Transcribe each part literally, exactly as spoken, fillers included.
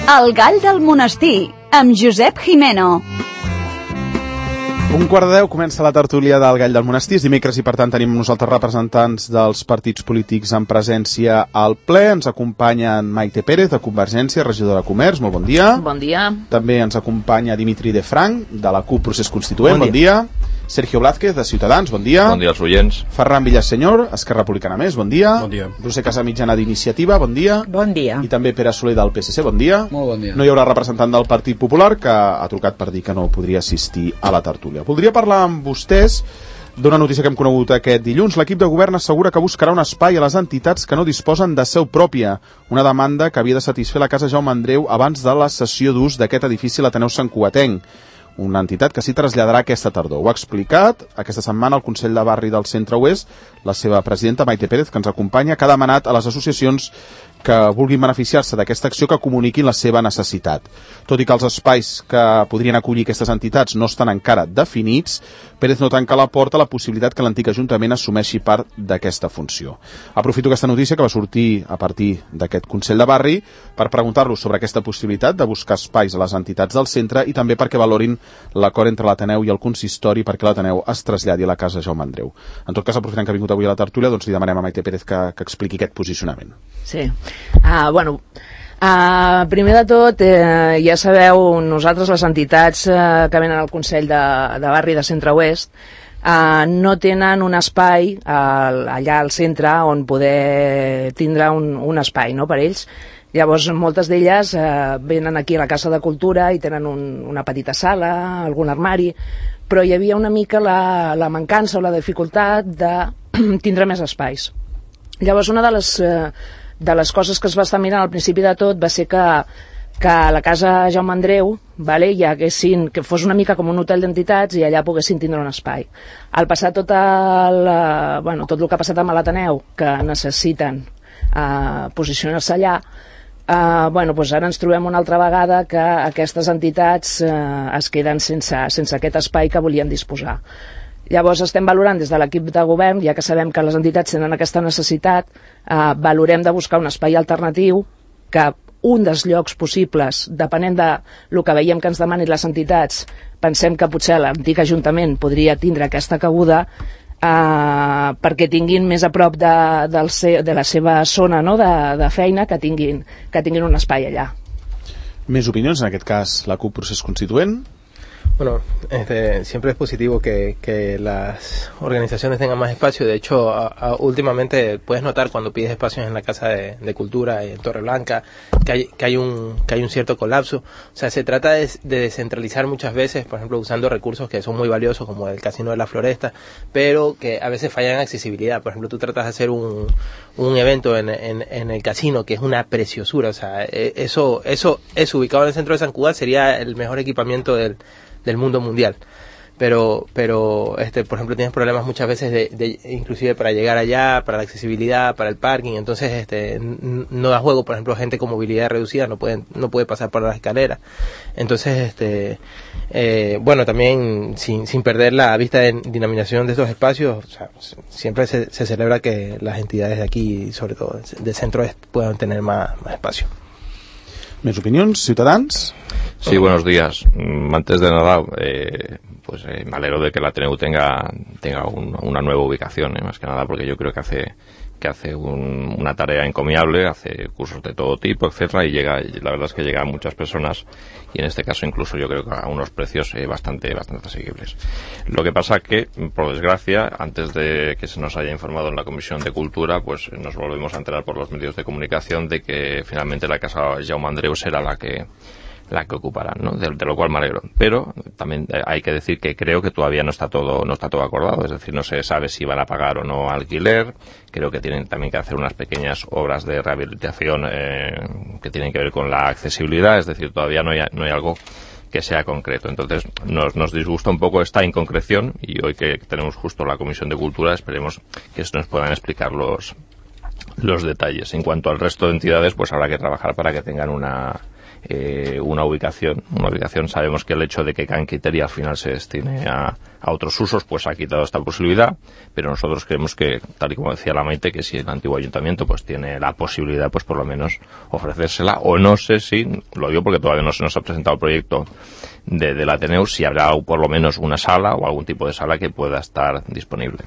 El gall del monestir, amb Josep Jimeno. Un quart de deu comença la tertúlia del Gall del Monestir, és dimecres i per tant tenim nosaltres representants dels partits polítics en presència al ple. Ens acompanya en Maite Pérez, de Convergència, regidora de Comerç, molt bon dia. Bon dia. També ens acompanya Dimitri de Frank, de la CUP Procés Constituent, bon, bon dia. dia. Sergio Blázquez, de Ciutadans, bon dia. Bon dia als oients. Ferran Villasenyor, Esquerra Republicana Més, bon dia. Bon dia. Roser Casamitjana, d'Iniciativa, bon dia. Bon dia. I també Pere Soler, del P S C, bon dia. Molt bon dia. No hi haurà representant del Partit Popular, que ha trucat per dir que no podria assistir a la tertúlia. Voldria parlar amb vostès d'una notícia que hem conegut aquest dilluns. L'equip de govern assegura que buscarà un espai a les entitats que no disposen de seu pròpia, una demanda que havia de satisfer la Casa Jaume Andreu abans de la cessió d'ús d'aquest edifici a l'Ateneu Santcugatenc, una entitat que s'hi traslladarà aquesta tardor. Ho ha explicat aquesta setmana al Consell de Barri del Centre Oest la seva presidenta Maite Pérez, que ens acompanya, que ha demanat a les associacions que vulguin beneficiar-se d'aquesta acció que comuniquin la seva necessitat. Tot i que els espais que podrien acollir aquestes entitats no estan encara definits, Pérez no tanca la porta a la possibilitat que l'antic Ajuntament assumeixi part d'aquesta funció. Aprofito aquesta notícia que va sortir a partir d'aquest Consell de Barri per preguntar-los sobre aquesta possibilitat de buscar espais a les entitats del centre i també perquè valorin l'acord entre l'Ateneu i el consistori perquè l'Ateneu es traslladi a la Casa Jaume Andreu. En tot cas, aprofitant que ha vingut avui a la tertúlia, doncs li demanem a Maite Pérez que, que expliqui aquest posicionament. Sí. Uh, bueno, uh, primer de tot, eh, ja sabeu, nosaltres les entitats uh, que venen al Consell de, de Barri de Centre Oest uh, no tenen un espai uh, allà al centre on poder tindre un, un espai, no?, per ells. Llavors, moltes d'elles eh, venen aquí a la Casa de Cultura i tenen un, una petita sala, algun armari, però hi havia una mica la, la mancança o la dificultat de tindre més espais. Llavors, una de les, eh, de les coses que es va estar mirant al principi de tot va ser que, que a la Casa Jaume Andreu, vale, hi haguessin, que fos una mica com un hotel d'entitats i allà poguessin tindre un espai. Al passar tot el, eh, bueno, tot el que ha passat amb l'Ateneu, que necessiten eh, posicionar-se allà, Uh, bueno, doncs ara ens trobem una altra vegada que aquestes entitats uh, es queden sense, sense aquest espai que volien disposar. Llavors estem valorant des de l'equip de govern, ja que sabem que les entitats tenen aquesta necessitat, uh, valorem de buscar un espai alternatiu que un dels llocs possibles, depenent de lo que veiem que ens demanin les entitats, pensem que potser l'antic Ajuntament podria tindre aquesta cabuda, Uh, perquè tinguin més a prop de, del se, de la seva zona, no?, de, de feina, que tinguin, que tinguin un espai allà. Més opinions, en aquest cas la CUP Procés Constituent. Bueno, este, siempre es positivo que, que las organizaciones tengan más espacio. De hecho, a, a, últimamente puedes notar cuando pides espacios en la Casa de, de Cultura, en Torreblanca, que hay, que hay un que hay un cierto colapso. O sea, se trata de, de descentralizar muchas veces, por ejemplo, usando recursos que son muy valiosos, como el Casino de la Floresta, pero que a veces fallan en accesibilidad. Por ejemplo, tú tratas de hacer un, un evento en, en, en el casino, que es una preciosura. O sea, eso, eso, eso ubicado en el centro de San Cugat sería el mejor equipamiento del del mundo mundial, pero pero este por ejemplo tienes problemas muchas veces de, de inclusive para llegar allá, para la accesibilidad, para el parking. Entonces este no da juego, por ejemplo, gente con movilidad reducida no pueden no puede pasar por las escaleras. Entonces este eh, bueno, también sin sin perder la vista de dinaminación de estos espacios, o sea, siempre se, se celebra que las entidades de aquí, sobre todo del centro, puedan tener más, más espacio. ¿Més opinions? Ciutadans? Sí, buenos días. Antes de nada, eh, pues eh, me alegro de que la Ateneu tenga, tenga un, una nueva ubicación, eh, más que nada porque yo creo que hace que hace un, una tarea encomiable, hace cursos de todo tipo, etcétera, y llega, la verdad es que llega a muchas personas y en este caso incluso yo creo que a unos precios eh, bastante bastante asequibles. Lo que pasa que, por desgracia, antes de que se nos haya informado en la Comisión de Cultura, pues nos volvemos a enterar por los medios de comunicación de que finalmente la Casa Jaume Andreu será la que la que ocuparán, ¿no? De, de lo cual me alegro. Pero también hay que decir que creo que todavía no está todo no está todo acordado, es decir, no se sabe si van a pagar o no alquiler. Creo que tienen también que hacer unas pequeñas obras de rehabilitación eh, que tienen que ver con la accesibilidad, es decir, todavía no hay, no hay algo que sea concreto. Entonces nos, nos disgusta un poco esta inconcreción y hoy que tenemos justo la Comisión de Cultura esperemos que nos puedan explicar los, los detalles. En cuanto al resto de entidades, pues habrá que trabajar para que tengan una eh, una ubicación. Una ubicación, sabemos que el hecho de que Can Quiteria al final se destine a, a otros usos, pues ha quitado esta posibilidad, pero nosotros creemos que, tal y como decía la Maite, que si el antiguo ayuntamiento pues tiene la posibilidad, pues por lo menos ofrecérsela, o no sé si, lo digo porque todavía no se nos ha presentado el proyecto de, del Ateneu, si habrá por lo menos una sala o algún tipo de sala que pueda estar disponible.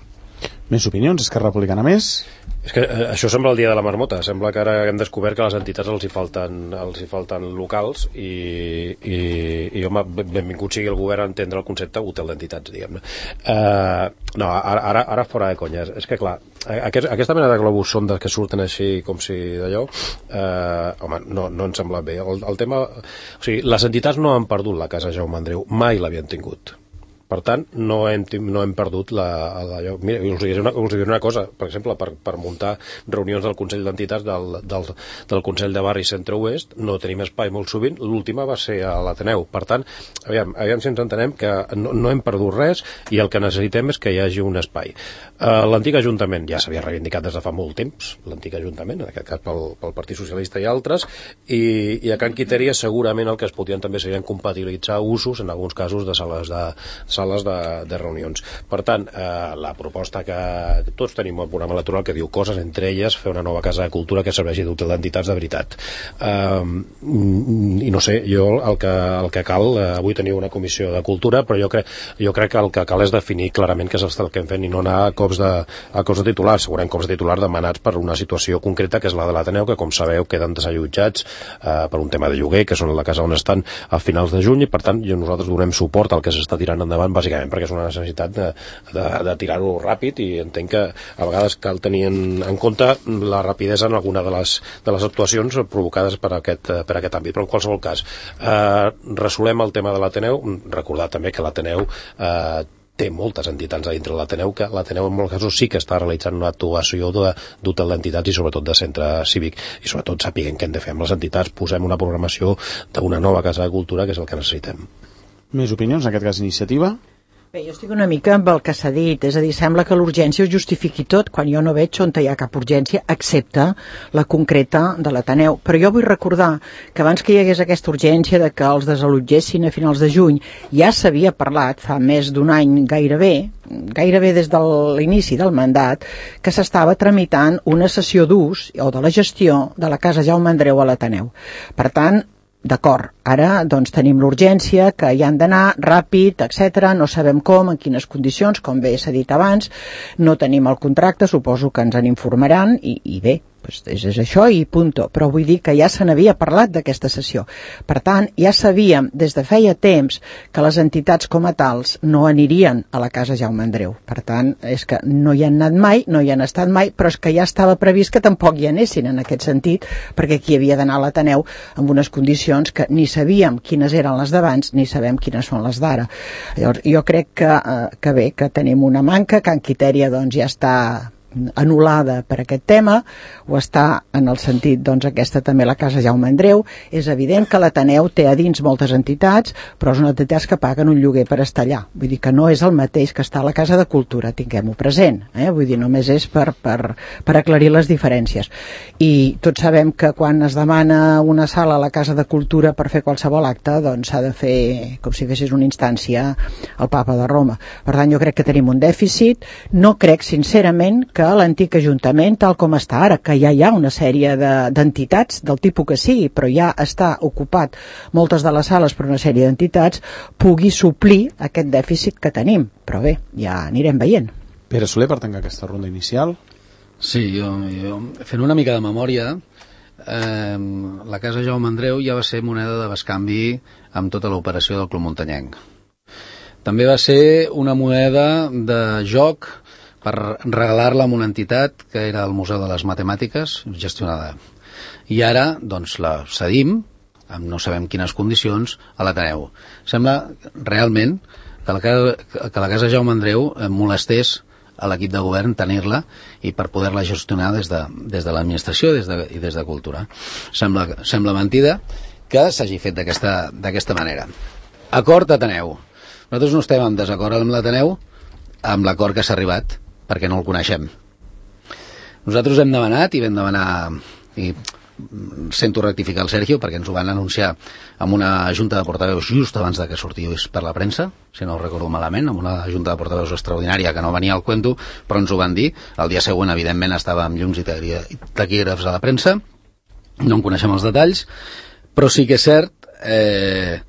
Més opinions? Esquerra Republicana més? És que eh, això sembla el dia de la marmota. Sembla que ara hem descobert que a les entitats els hi falten, els hi falten locals i, i, i home, benvingut sigui el govern a entendre el concepte hotel d'entitats, diguem-ne. Uh, no, ara, ara, ara fora de conya. És que, clar, aquest, aquesta mena de globus sondes que surten així com si d'allò, uh, home, no, no ens sembla bé. El, el tema... O sigui, les entitats no han perdut la Casa Jaume Andreu, mai l'havien tingut. Per tant, no hem, no hem perdut la, la, mira, us diré, una, us diré una cosa, per exemple, per, per muntar reunions del Consell d'Entitats del, del, del Consell de Barri Centre-Oest no tenim espai molt sovint, l'última va ser a l'Ateneu. Per tant, aviam, aviam si ens entenem que no, no hem perdut res i el que necessitem és que hi hagi un espai. Uh, l'antic Ajuntament ja s'havia reivindicat des de fa molt temps, l'antic Ajuntament, en aquest cas pel, pel Partit Socialista i altres, i, i a Can Quiteria segurament el que es podien també serien compatibilitzar usos, en alguns casos, de sales de sales de, de reunions. Per tant, eh, la proposta que tots tenim un programa electoral que diu coses, entre elles fer una nova casa de cultura que serveixi d'hotel d'entitats de veritat. Eh, I no sé, jo el que, el que cal, eh, avui teniu una comissió de cultura, però jo crec, jo crec que el que cal és definir clarament què és el que hem fet i no anar a cops de, a cops de titular, segurament cops de titular demanats per una situació concreta que és la de l'Ateneu, que com sabeu queden desallotjats eh, per un tema de lloguer, que són la casa on estan a finals de juny, i per tant jo, nosaltres donem suport al que s'està tirant endavant bàsicament perquè és una necessitat de, de, de tirar-ho ràpid, i entenc que a vegades cal tenir en, en compte la rapidesa en alguna de les, de les actuacions provocades per aquest, per aquest àmbit. Però en qualsevol cas, eh, resolem el tema de l'Ateneu. Recordar també que l'Ateneu eh, té moltes entitats a dintre de l'Ateneu, que l'Ateneu en molts casos sí que està realitzant una actuació d'hotel d'entitats i sobretot de centre cívic, i sobretot sapiguem què hem de fer amb les entitats, posem una programació d'una nova casa de cultura, que és el que necessitem. Més opinions, en aquest cas iniciativa? Bé, jo estic una mica amb el que s'ha dit, és a dir, sembla que l'urgència ho justifiqui tot, quan jo no veig on hi ha cap urgència, excepte la concreta de l'Ateneu. Però jo vull recordar que abans que hi hagués aquesta urgència de que els desallotgessin a finals de juny, ja s'havia parlat fa més d'un any gairebé, gairebé des de l'inici del mandat, que s'estava tramitant una cessió d'ús o de la gestió de la Casa Jaume Andreu a l'Ateneu. Per tant, d'acord, ara doncs tenim l'urgència, que hi han d'anar ràpid, etcètera. No sabem com, en quines condicions, com bé s'ha dit abans, no tenim el contracte, suposo que ens en informaran, i, i bé, doncs és, és això i punto. Però vull dir que ja se n'havia parlat d'aquesta sessió. Per tant, ja sabíem des de feia temps que les entitats com a tals no anirien a la Casa Jaume Andreu. Per tant, és que no hi han anat mai, no hi han estat mai, però és que ja estava previst que tampoc hi anessin en aquest sentit, perquè aquí havia d'anar a l'Ateneu amb unes condicions que ni sabíem quines eren les d'abans ni sabem quines són les d'ara. Llavors, jo crec que, eh, que bé, que tenim una manca, Can Quiteria doncs ja està anul·lada per aquest tema, o està en el sentit, doncs aquesta també la Casa Jaume Andreu. És evident que l'Ateneu té a dins moltes entitats, però són entitats que paguen un lloguer per estar allà. Vull dir que no és el mateix que està a la Casa de Cultura, tinguem-ho present, eh? Vull dir, només és per, per, per aclarir les diferències. I tots sabem que quan es demana una sala a la Casa de Cultura per fer qualsevol acte, doncs s'ha de fer com si fessis una instància al Papa de Roma. Per tant, jo crec que tenim un dèficit. No crec, sincerament, que l'antic Ajuntament, tal com està ara, que ja hi ha una sèrie d'entitats, de, del tipus que sigui, però ja està ocupat moltes de les sales per una sèrie d'entitats, pugui suplir aquest dèficit que tenim. Però bé, ja anirem veient. Pere Soler, per tancar aquesta ronda inicial. Sí, jo, jo fent una mica de memòria, eh, la Casa Jaume Andreu ja va ser moneda de bescanvi amb tota l'operació del Club Muntanyenc. També va ser una moneda de joc per regalar-la a una entitat que era el Museu de les Matemàtiques, gestionada. I ara, doncs, la cedim, amb no sabem quines condicions, a l'Ateneu. Sembla realment que la, que la Casa Jaume Andreu molestés a l'equip de govern tenir-la i per poder-la gestionar des de, des de l'administració des de, i des de Cultura. Sembla, sembla mentida que s'hagi fet d'aquesta manera. Acord Ateneu. Nosaltres no estem en desacord amb l'Ateneu, amb l'acord que s'ha arribat, perquè no el coneixem. Nosaltres hem demanat i vam demanar, i sento rectificar el Sergio perquè ens ho van anunciar amb una junta de portaveus just abans de que sortís per la premsa, si no ho recordo malament, amb una junta de portaveus extraordinària que no venia al cuento, però ens ho van dir. El dia següent, evidentment, estava amb llums i taquígrafs a la premsa, no en coneixem els detalls, però sí que és cert eh,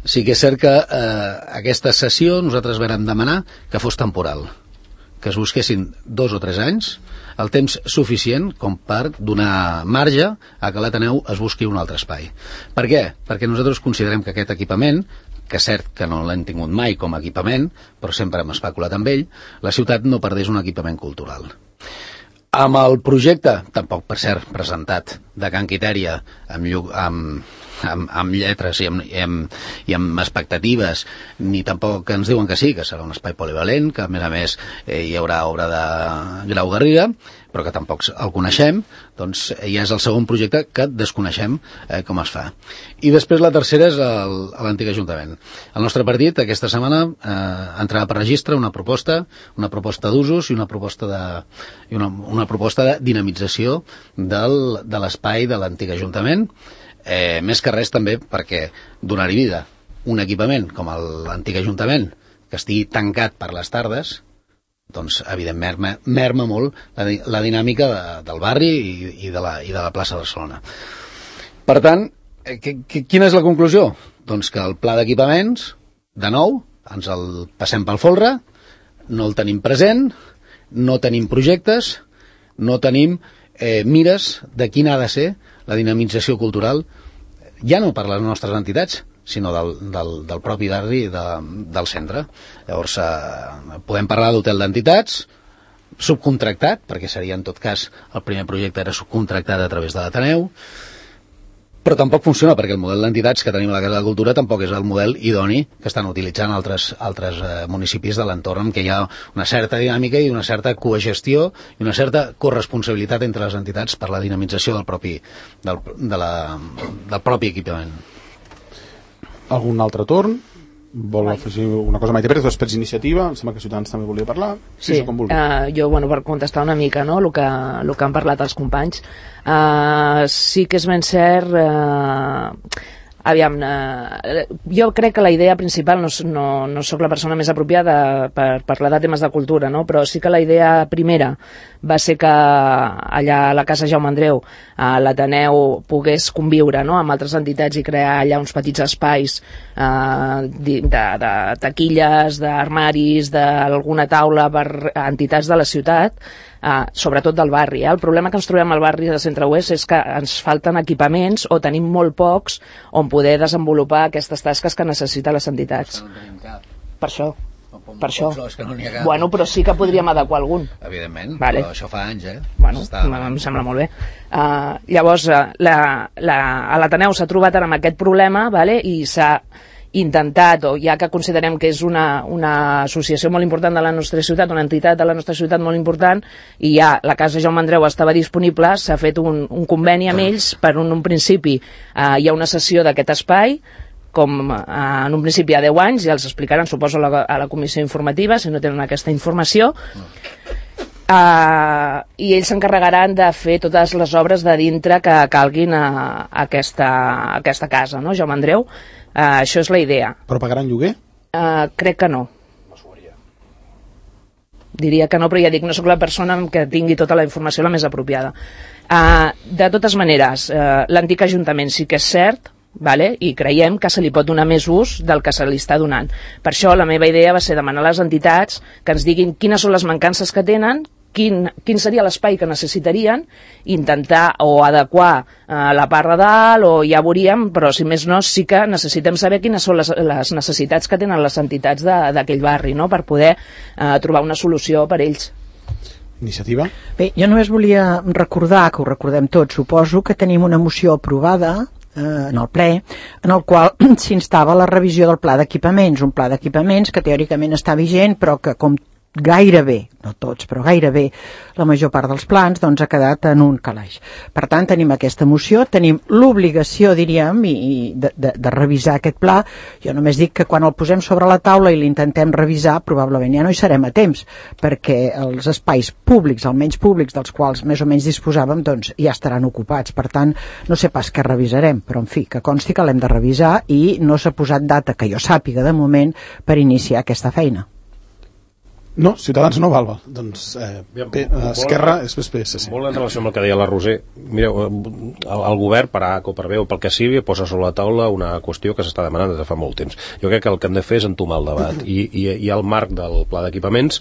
sí que és cert que eh, aquesta sessió nosaltres vam demanar que fos temporal, que es busquessin dos o tres anys, el temps suficient com per donar marge a que l'Ateneu es busqui un altre espai. Per què? Perquè nosaltres considerem que aquest equipament, que és cert que no l'hem tingut mai com a equipament, però sempre hem especulat amb ell, la ciutat no perdés un equipament cultural. Amb el projecte, tampoc per cert presentat, de Can Quitèria, amb, amb, amb, amb lletres i amb, i, amb, i amb expectatives, ni tampoc ens diuen que sí, que serà un espai polivalent, que a més a més eh, hi haurà obra de Grau Garriga, però que tampoc el coneixem, doncs ja és el segon projecte que desconeixem eh, com es fa. I després la tercera és el, l'antic Ajuntament. El nostre partit aquesta setmana eh, entrarà per registre una proposta, una proposta d'usos i una proposta de, i una, una proposta de dinamització del, de l'espai de l'antic Ajuntament, eh, més que res també perquè donar-hi vida un equipament com l'antic Ajuntament que estigui tancat per les tardes, doncs evidentment merma, merma molt la, la dinàmica de, del barri i, i, de la, i de la plaça de Barcelona. Per tant, eh, que, que, quina és la conclusió? Doncs que el pla d'equipaments, de nou, ens el passem pel folre, no el tenim present, no tenim projectes, no tenim eh, mires de quina ha de ser la dinamització cultural, ja no per les nostres entitats, sinó del, del, del propi barri de, del centre. Llavors, eh, podem parlar d'hotel d'entitats, subcontractat, perquè seria en tot cas, el primer projecte era subcontractat a través de l'Ateneu, però tampoc funciona perquè el model d'entitats que tenim a la Casa de Cultura tampoc és el model idoni que estan utilitzant altres, altres eh, municipis de l'entorn, en què hi ha una certa dinàmica i una certa cogestió i una certa corresponsabilitat entre les entitats per la dinamització del propi, del, de la, del propi equipament. Algun altre torn? Vol afegir una cosa, Maite Pérez, després Iniciativa, em sembla que Ciutadans també volia parlar. Sí, sí uh, jo, bueno, per contestar una mica, no?, el que, el que han parlat els companys. Uh, sí que és ben cert... Uh, aviam, uh, jo crec que la idea principal, no, no, no sóc la persona més apropiada per parlar de temes de cultura, no?, però sí que la idea primera va ser que allà a la Casa Jaume Andreu uh, l'Ateneu pogués conviure, no?, amb altres entitats i crear allà uns petits espais uh, de, de taquilles, d'armaris, d'alguna taula per entitats de la ciutat, Uh, sobretot del barri. Eh? El problema que ens trobem al barri de Centre-Oest és que ens falten equipaments o tenim molt pocs on poder desenvolupar aquestes tasques que necessiten les entitats. Per això. Per això. Que no bueno, però sí que podríem adequar algun. Evidentment, vale. Però això fa anys, eh? Bueno, Està... em sembla molt bé. Uh, llavors, uh, la, la, a l'Ateneu s'ha trobat ara amb aquest problema, vale? I s'ha intentat, o ja que considerem que és una, una associació molt important de la nostra ciutat, una entitat de la nostra ciutat molt important, i ja la Casa Jaume Andreu estava disponible, s'ha fet un, un conveni amb ells per un, un principi. Eh, hi ha una sessió d'aquest espai, com eh, en un principi hi ha deu anys, ja els explicaran, suposo, a la, a la comissió informativa, si no tenen aquesta informació, Uh, i ells s'encarregaran de fer totes les obres de dintre que calguin a, a, aquesta, a aquesta casa, no, Jaume Andreu? Uh, això és la idea. Però pagaran lloguer? Uh, crec que no. Diria que no, però ja dic, no sóc la persona que tingui tota la informació la més apropiada. Uh, de totes maneres, uh, l'antic Ajuntament sí que és cert, vale? I creiem que se li pot donar més ús del que se li està donant. Per això la meva idea va ser demanar a les entitats que ens diguin quines són les mancances que tenen, quin, quin seria l'espai que necessitarien, intentar o adequar eh, la part de dalt, o ja veuríem, però si més no sí que necessitem saber quines són les, les necessitats que tenen les entitats d'aquell barri, no?, per poder eh, trobar una solució per ells. Iniciativa? Bé, jo només volia recordar, que ho recordem tots, suposo que tenim una moció aprovada en el ple, en el qual s'instava la revisió del pla d'equipaments, un pla d'equipaments que teòricament està vigent, però que com gairebé, no tots, però gairebé la major part dels plans, doncs ha quedat en un calaix. Per tant, tenim aquesta moció, tenim l'obligació, diríem, i, i de, de, de revisar aquest pla. Jo només dic que quan el posem sobre la taula i l'intentem revisar, probablement ja no hi serem a temps, perquè els espais públics, almenys públics, dels quals més o menys disposàvem, doncs ja estaran ocupats. Per tant, no sé pas què revisarem, però en fi, que consti que l'hem de revisar i no s'ha posat data, que jo sàpiga de moment, per iniciar aquesta feina. No, Ciutadans no val, val. Doncs eh, bé, Esquerra és P S C. Molt en relació amb el que deia la Roser, mireu, el, el govern, per A o per B o pel que sigui, posa sobre la taula una qüestió que s'està demanant des de fa molt temps. Jo crec que el que hem de fer és entomar el debat. I, i, i el marc del pla d'equipaments,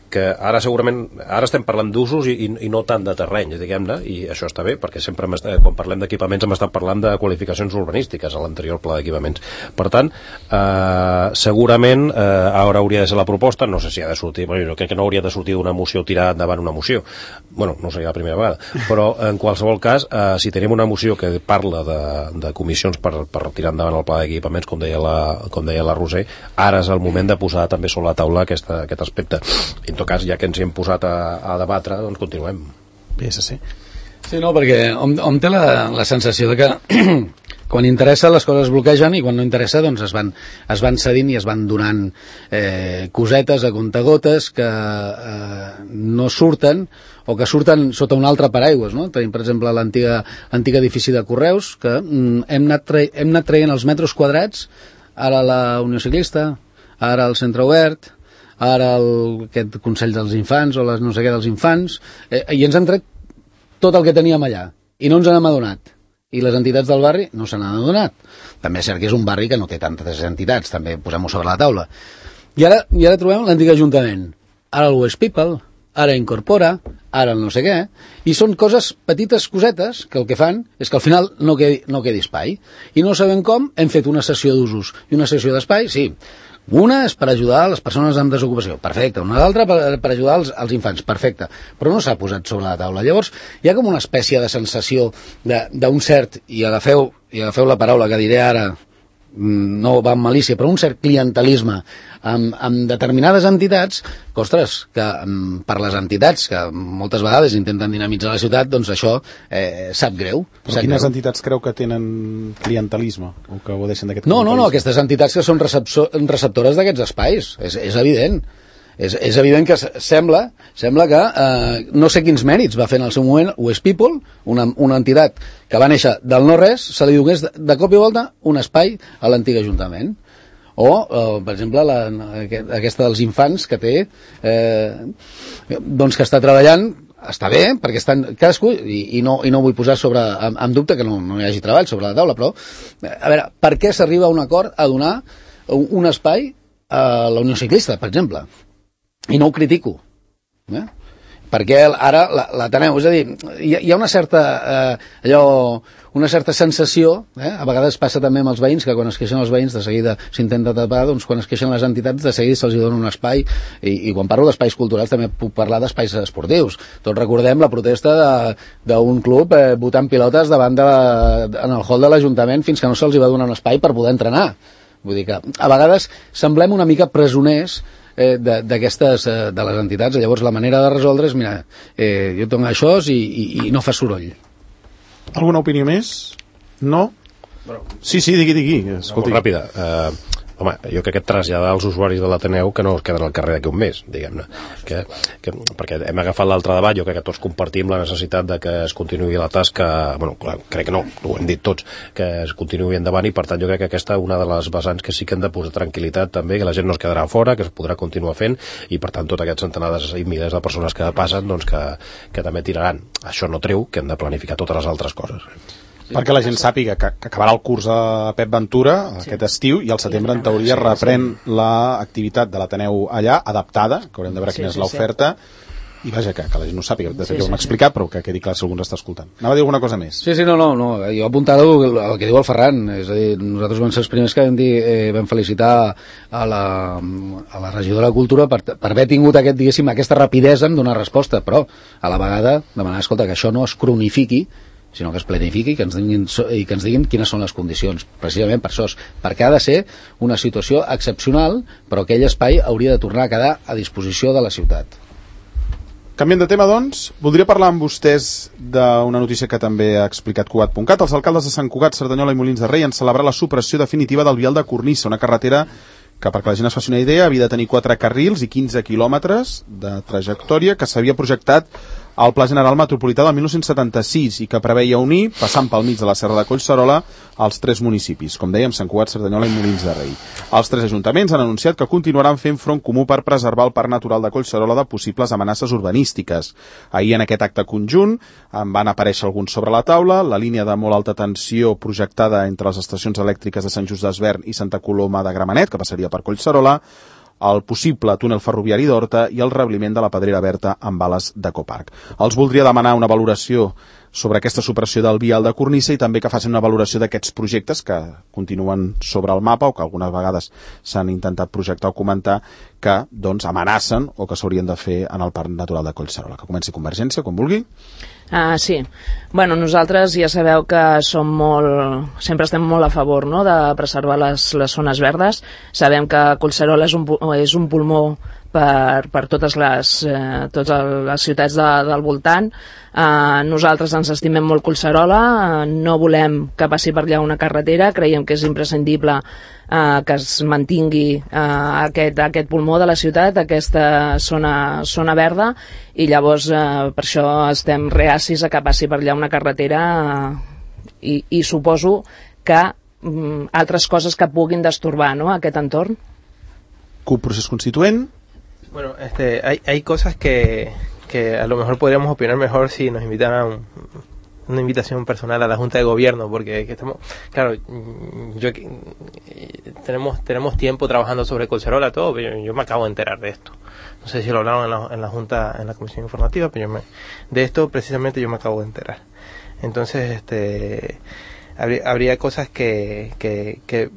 que ara segurament, ara estem parlant d'usos i, i no tant de terreny, diguem-ne, i això està bé, perquè sempre estat, quan parlem d'equipaments hem estat parlant de qualificacions urbanístiques a l'anterior pla d'equipaments. Per tant, eh, segurament eh, ara hauria de ser la proposta, no sé si ha de sortir, bueno, jo crec que no hauria de sortir d'una moció tirar endavant una moció, bueno, no seria la primera vegada, però en qualsevol cas, eh, si tenim una moció que parla de, de comissions per, per tirar endavant el pla d'equipaments, com deia la, com deia la Roser, ara és el moment de posar també sobre la taula aquesta, aquest aspecte. En tot cas, ja que ens hi hem posat a, a debatre, doncs continuem. P S C. Sí, no, perquè hom, hom té la, la sensació de que quan interessa les coses es bloquegen i quan no interessa doncs es van, es van cedint i es van donant eh, cosetes a comptagotes que eh, no surten o que surten sota un altre paraigües, no? Tenim, per exemple, l'antic edifici de Correus, que mm, hem, anat tra hem anat traient els metres quadrats, ara la Unió Ciclista, ara el Centre Obert, ara el, aquest Consell dels Infants o les no sé què dels infants, eh, i ens han tret tot el que teníem allà i no ens n'hem adonat, i les entitats del barri no se n'han adonat. També és cert que és un barri que no té tantes entitats, també posem-ho sobre la taula. I ara, i ara trobem l'antic Ajuntament, ara el West People, ara Incorpora, ara el no sé què, i són coses, petites cosetes, que el que fan és que al final no quedi, no quedi espai, i no sabem com. Hem fet una sessió d'usos i una sessió d'espai, sí. Una és per ajudar a les persones amb desocupació, perfecte. Una altra per, per ajudar als, als infants, perfecte. Però no s'ha posat sobre la taula. Llavors, hi ha com una espècie de sensació d'un cert, i agafeu, i agafeu la paraula que diré ara, no va amb malícia, però un cert clientelisme amb, amb determinades entitats, que, ostres, que per les entitats que moltes vegades intenten dinamitzar la ciutat, doncs això eh, sap greu. Però sap quines greu. entitats creu que tenen clientelisme o que godeixen d'aquest no, clientelisme? no, no, aquestes entitats que són receptores d'aquests espais, és, és evident. És, és evident que sembla, sembla que eh, no sé quins mèrits va fer en el seu moment West People, una, una entitat que va néixer del no-res, se li donés de, de cop i volta un espai a l'antic Ajuntament. O, eh, per exemple, la, aquesta dels infants que té, eh, doncs que està treballant, està bé, perquè estan cadascú, i, i, no, i no vull posar sobre, en, en dubte que no, no hi hagi treball sobre la taula, però, a veure, per què s'arriba a un acord a donar un, un espai a la Unió Ciclista, per exemple? I no ho critico, eh? Perquè ara l'Ateneu, és a dir, hi ha, hi ha una certa eh, allò, una certa sensació, eh? A vegades passa també amb els veïns, que quan es queixen els veïns de seguida s'intenta tapar, doncs quan es queixen les entitats de seguida se'ls dona un espai, i, i quan parlo d'espais culturals també puc parlar d'espais esportius. Tots recordem la protesta d'un club eh, botant pilotes davant de la, en el hall de l'Ajuntament fins que no se'ls va donar un espai per poder entrenar. Vull dir que a vegades semblem una mica presoners Eh, d'aquestes, eh, de les entitats. Llavors la manera de resoldre és, mira, eh, jo tinc això i, i, i no fa soroll. Alguna opinió més? No? Bueno, sí, sí, digui, digui. Escolti. Molt ràpida. Uh, home, jo crec que traslladar als usuaris de l'Ateneu que no es queden al carrer d'aquí un mes, diguem-ne. Que, que, perquè hem agafat l'altre debat, jo crec que tots compartim la necessitat de que es continuï la tasca, bueno, clar, crec que no, ho hem dit tots, que es continuï endavant, i per tant jo crec que aquesta és una de les vessants que sí que hem de posar tranquil·litat també, que la gent no es quedarà fora, que es podrà continuar fent, i per tant tot aquests centenars i milers de persones que passen, doncs que, que també tiraran. Això no treu que hem de planificar totes les altres coses. Sí, perquè la gent sàpiga que, que acabarà el curs a Pep Ventura sí. aquest estiu, i al setembre en teoria sí, reprèn sí. l'activitat de l'Ateneu allà, adaptada, que haurem de veure sí, quina és sí, l'oferta, sí. i vaja, que, que la gent no sàpiga, de fet sí, ja ho hem sí, explicat, però que quedi clar si algú ens està escoltant. Anava a dir alguna cosa més? Sí, sí, no, no, no. Jo apuntava el, el que diu el Ferran, és a dir, nosaltres vam ser els primers que vam, dir, eh, vam felicitar a la, a la regidora de Cultura per, per haver tingut aquest, diguéssim, aquesta rapidesa en donar resposta, però a la vegada demanar, escolta, que això no es cronifiqui sinó que es planifiqui i que ens diguin, i que ens diguin quines són les condicions, precisament per això, perquè ha de ser una situació excepcional, però aquell espai hauria de tornar a quedar a disposició de la ciutat. Canviant de tema, doncs, voldria parlar amb vostès d'una notícia que també ha explicat Cugat punt cat. Els alcaldes de Sant Cugat, Cerdanyola i Molins de Rei han celebrat la supressió definitiva del vial de Cornissa, una carretera que, perquè la gent es faci una idea, havia de tenir quatre carrils i quinze quilòmetres de trajectòria, que s'havia projectat al Pla General Metropolità del dinou setanta-sis i que preveia unir, passant pel mig de la Serra de Collserola, els tres municipis, com dèiem, Sant Cugat, Cerdanyola i Molins de Rei. Els tres ajuntaments han anunciat que continuaran fent front comú per preservar el Parc Natural de Collserola de possibles amenaces urbanístiques. Ahir, en aquest acte conjunt, en van aparèixer alguns sobre la taula, la línia de molt alta tensió projectada entre les estacions elèctriques de Sant Just d'Esvern i Santa Coloma de Gramenet, que passaria per Collserola, el possible túnel ferroviari d'Horta i el rebliment de la Pedrera Berta amb bales d'Ecoparc. Els voldria demanar una valoració sobre aquesta supressió del vial de Cornissa i també que facin una valoració d'aquests projectes que continuen sobre el mapa o que algunes vegades s'han intentat projectar o comentar que doncs, amenacen o que s'haurien de fer en el Parc Natural de Collserola. Que comenci Convergència, quan vulgui. Uh, sí. Bueno, nosaltres ja sabeu que som molt, sempre estem molt a favor, no?, de preservar les, les zones verdes. Sabem que Collserola és un, és un pulmó per, per totes les, eh, totes les ciutats de, del voltant. Uh, nosaltres ens estimem molt Collserola, uh, no volem que passi per allà una carretera, creiem que és imprescindible uh, que es mantingui uh, aquest, aquest pulmó de la ciutat, aquesta zona, zona verda, i llavors uh, per això estem reacis a que passi per allà una carretera uh, i, i suposo que um, altres coses que puguin destorbar, ¿no?, aquest entorn. C U P Procés Constituent. Bueno, este, hay, hay cosas que, que a lo mejor podríamos opinar mejor si nos invitaran un, una invitación personal a la Junta de Gobierno, porque que estamos, claro, yo tenemos tenemos tiempo trabajando sobre Collserola, todo, pero yo, yo me acabo de enterar de esto. No sé si lo hablaron en la, en la Junta, en la Comisión Informativa, pero yo me, de esto precisamente yo me acabo de enterar. Entonces, este, habría, habría cosas que, que, que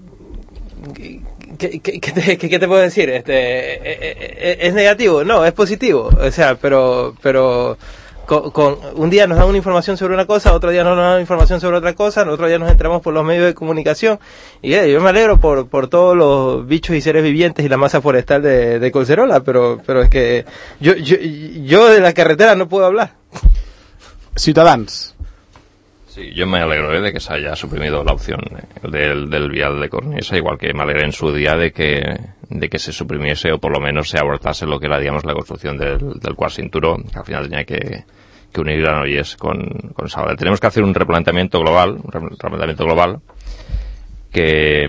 ¿Qué, qué, qué, te, qué te puedo decir? Este, ¿Es negativo? No, es positivo. O sea, pero pero con, con un día nos dan una información sobre una cosa, otro día nos dan información sobre otra cosa, otro día nos enteramos por los medios de comunicación. Y eh, yo me alegro por por todos los bichos y seres vivientes y la masa forestal de, de Collserola, pero pero es que yo, yo, yo de la carretera no puedo hablar. Ciutadans. Sí, yo me alegro ¿eh? de que se haya suprimido la opción del, del vial de Cornissa, igual que me alegré en su día de que de que se suprimiese o por lo menos se abortase lo que era, digamos, la construcción del, del cuarto cinturón, que al final tenía que, que unir Granollers con, con Sabadell. Tenemos que hacer un replanteamiento global, un replanteamiento global que,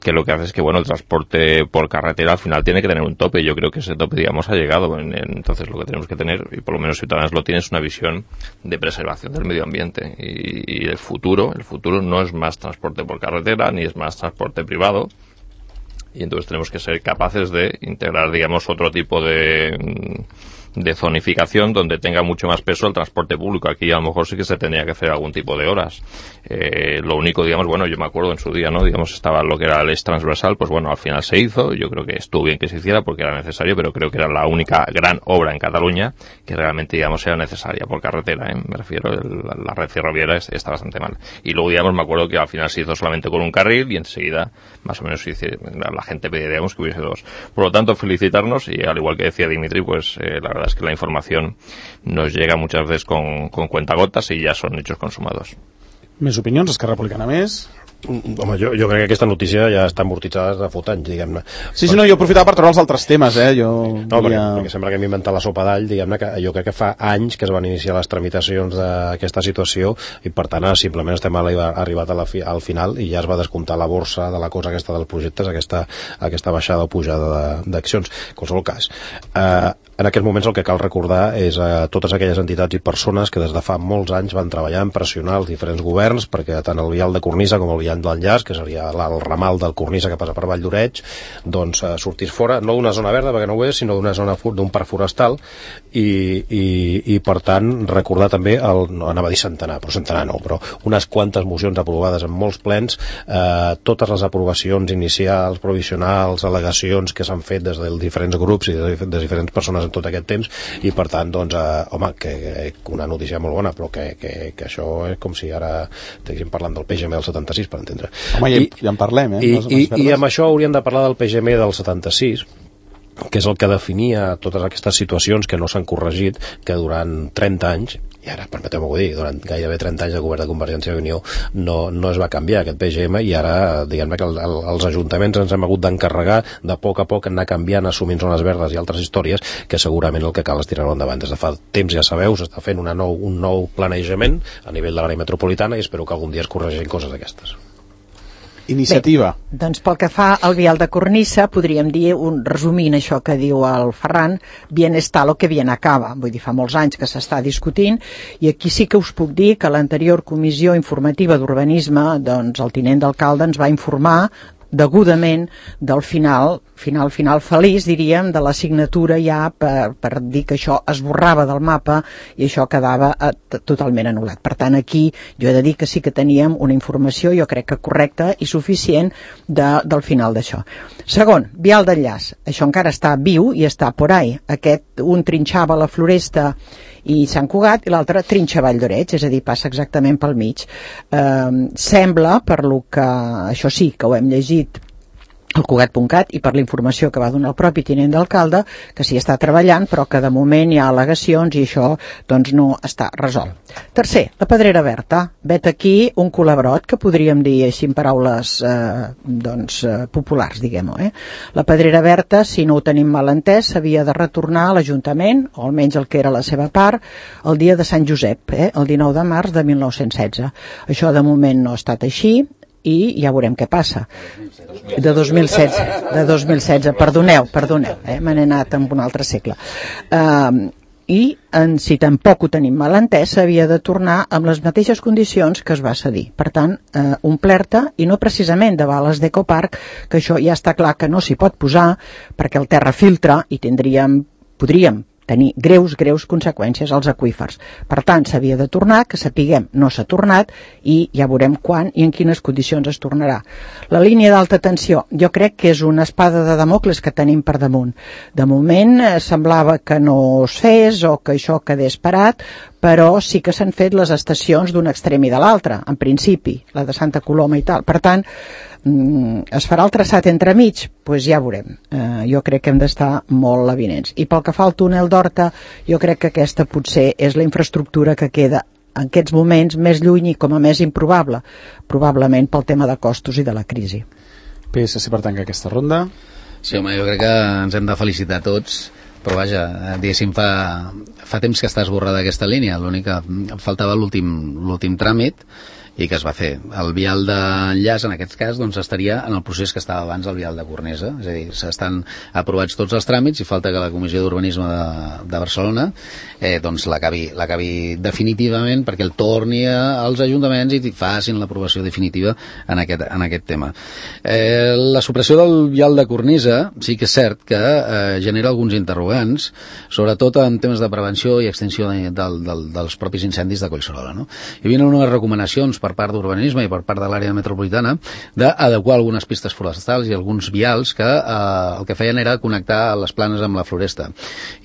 que lo que hace es que, bueno, el transporte por carretera al final tiene que tener un tope. Yo creo que ese tope, digamos, ha llegado. En, en, entonces lo que tenemos que tener, y por lo menos Ciudadanos lo tiene, es una visión de preservación del medio ambiente. Y, y el futuro, el futuro no es más transporte por carretera, ni es más transporte privado. Y entonces tenemos que ser capaces de integrar, digamos, otro tipo de, de zonificación donde tenga mucho más peso el transporte público. Aquí a lo mejor sí que se tendría que hacer algún tipo de horas. Eh, lo único, digamos, bueno, yo me acuerdo en su día, ¿no? Digamos, estaba lo que era el eje transversal, pues bueno, al final se hizo. Yo creo que estuvo bien que se hiciera porque era necesario, pero creo que era la única gran obra en Cataluña que realmente, digamos, era necesaria por carretera, ¿eh? Me refiero, el, la red ferroviaria está bastante mal. Y luego, digamos, me acuerdo que al final se hizo solamente con un carril y enseguida, más o menos, se hizo, la gente pedía, digamos, que hubiese dos. Por lo tanto, felicitarnos y, al igual que decía Dimitri, pues eh, la verdad es que la información nos llega muchas veces con, con cuentagotas y ya son hechos consumados. Més opinions, Esquerra Republicana més? Home, jo, jo crec que aquesta notícia ja està amortitzada de fot anys, diguem-ne. Sí, sí, no, jo aprofitava per treure els altres temes, eh? Jo no, volia... perquè, perquè sembla que hem inventat la sopa d'all, diguem-ne, que jo crec que fa anys que es van iniciar les tramitacions d'aquesta situació i, per tant, simplement estem arribat a la fi, al final i ja es va descomptar la borsa de la cosa aquesta dels projectes, aquesta, aquesta baixada o pujada d'accions. En qualsevol cas, eh, en aquests moments el que cal recordar és a totes aquelles entitats i persones que des de fa molts anys van treballar en pressionar els diferents governs perquè tant el vial de Cornissa com el vial d'Enllaç, que seria el ramal del Cornissa que passa per Vall d'Oreig, doncs eh, sortís fora, no d'una zona verda, perquè no ho és, sinó d'una zona d'un parc forestal i, i, i per tant recordar també, el, no anava a dir centenar, però centenar no, però unes quantes mocions aprovades en molts plens, eh, totes les aprovacions inicials, provisionals, al·legacions que s'han fet des dels diferents grups i de, de diferents persones en tot aquest temps, i per tant, doncs, eh, home, que, que una notícia molt bona, però que, que, que això és com si ara estiguéssim parlant del P G M del setanta-sis, per entendre. Home, I, ja en parlem, eh? I, i, i amb això hauríem de parlar del P G M del setanta-sis, que és el que definia totes aquestes situacions que no s'han corregit, que durant trenta anys, i ara permeteu-m'ho dir, durant gairebé trenta anys de govern de Convergència i Unió no, no es va canviar aquest P G M, i ara diguem-ne que el, el, els ajuntaments ens hem hagut d'encarregar de poc a poc anar canviant, assumint zones verdes i altres històries, que segurament el que cal és tirar-ho endavant. Des de fa temps, ja sabeu, s'està fent una nou, un nou planejament a nivell de l'àrea metropolitana, i espero que algun dia es corregeixin coses d'aquestes. Iniciativa. Bé, doncs pel que fa al vial de cornissa, podríem dir, un, resumint això que diu el Ferran, bien está lo que bien acaba. Vull dir, fa molts anys que s'està discutint, i aquí sí que us puc dir que l'anterior comissió informativa d'urbanisme, doncs el tinent d'alcalde ens va informar degudament del final, final, final feliç, diríem, de la signatura ja per, per dir que això es borrava del mapa i això quedava eh, totalment anul·lat. Per tant, aquí jo he de dir que sí que teníem una informació, jo crec que correcta i suficient de, del final d'això. Segon, vial d'enllaç. Això encara està viu i està por ahí. Aquest, un trinxava la Floresta i Sant Cugat i l'altre trinxa Vall d'Oreig, és a dir, passa exactament pel mig. Eh, sembla, per lo que, això sí, que ho hem llegit al Cugat punt cat i per la informació que va donar el propi tinent d'alcalde, que s'hi està treballant, però que de moment hi ha al·legacions i això doncs no està resolt. Tercer, la Pedrera Berta. Vet aquí un colabrot, que podríem dir així en paraules eh, doncs, eh, populars, diguem-ho. Eh? La Pedrera Berta, si no ho tenim mal entès, s'havia de retornar a l'Ajuntament, o almenys el que era la seva part, el dia de Sant Josep, eh? el dinou de març de mil nou-cents setze. Això de moment no ha estat així, i ja veurem què passa. De dos mil setze, de dos mil setze, perdoneu, perdoneu, eh? me n'he anat en un altre segle. Uh, I en, si tampoc ho tenim mal entès, s'havia de tornar amb les mateixes condicions que es va cedir. Per tant, uh, omplerta, i no precisament de bales d'Ecoparc, que això ja està clar que no s'hi pot posar, perquè el terra filtra i tindríem, podríem tenir greus, greus conseqüències als aqüífers. Per tant, s'havia de tornar, que sapiguem no s'ha tornat, i ja veurem quan i en quines condicions es tornarà. La línia d'alta tensió, jo crec que és una espada de Damocles que tenim per damunt. De moment eh, semblava que no es fes o que això quedés parat, però sí que s'han fet les estacions d'un extrem i de l'altre, en principi, la de Santa Coloma i tal. Per tant, es farà el traçat entremig? Doncs pues ja veurem. Eh, jo crec que hem d'estar molt avinents. I pel que fa al túnel d'Horta, jo crec que aquesta potser és la infraestructura que queda en aquests moments més lluny i com a més improbable, probablement pel tema de costos i de la crisi. P S C per tancar aquesta ronda. Sí, home, jo crec que ens hem de felicitar tots, però vaja, diguéssim, fa, fa temps que està esborrada aquesta línia, l'únic que faltava l'últim l'últim tràmit, i que es va fer. El vial d'enllaç, en aquest cas, doncs estaria en el procés que estava abans del vial de Cornesa, és a dir, s'estan aprovats tots els tràmits i falta que la Comissió d'Urbanisme de, de Barcelona eh, doncs l'acabi l'acabi definitivament perquè el torni a, als ajuntaments i facin l'aprovació definitiva en aquest, en aquest tema. Eh, la supressió del vial de Cornisa sí que és cert que eh, genera alguns interrogants, sobretot en temes de prevenció i extinció de, de, de, dels propis incendis de Collserola, no? Hi havia unes recomanacions per part d'urbanisme i per part de l'àrea metropolitana d'adequar algunes pistes forestals i alguns vials que eh, el que feien era connectar les planes amb la floresta.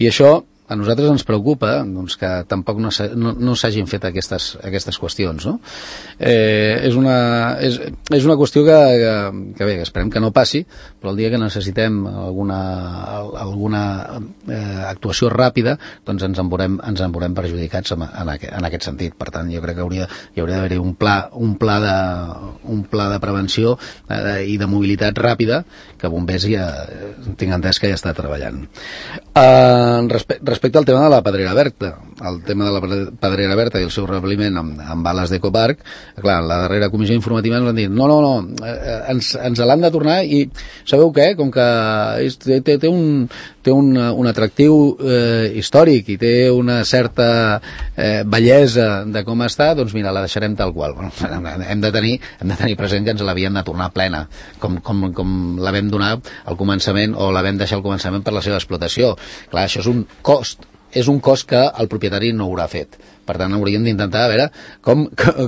I això a nosaltres ens preocupa doncs, que tampoc no, no, no s'hagin fet aquestes, aquestes qüestions, no? Eh, és, una, és, és una qüestió que, que, que bé, esperem que no passi, però el dia que necessitem alguna, alguna eh, actuació ràpida, doncs ens en veurem, ens en veurem perjudicats en, en, aquest, en aquest sentit. Per tant, jo crec que hauria, hi hauria d'haver un pla, un pla de, un pla de prevenció eh, i de mobilitat ràpida que Bombers ja tinc entès que ja està treballant. Eh, respecte Respecte al tema de la Pedrera Berta, el tema de la Pedrera Berta i el seu rebliment amb, amb bales d'Ecoparc, clar, la darrera comissió informativa ens van dir no, no, no, eh, ens, ens l'han de tornar i sabeu què? Com que és, té, té, un, té un, un atractiu eh, històric i té una certa eh, bellesa de com està, doncs mira, la deixarem tal qual. Bueno, hem, de tenir, hem de tenir present que ens l'havien de tornar plena, com, com, com la vam donar al començament o la vam deixar al començament per la seva explotació. Clar, això és un cost és un cost que el propietari no haurà fet. Per tant, hauríem d'intentar a veure com,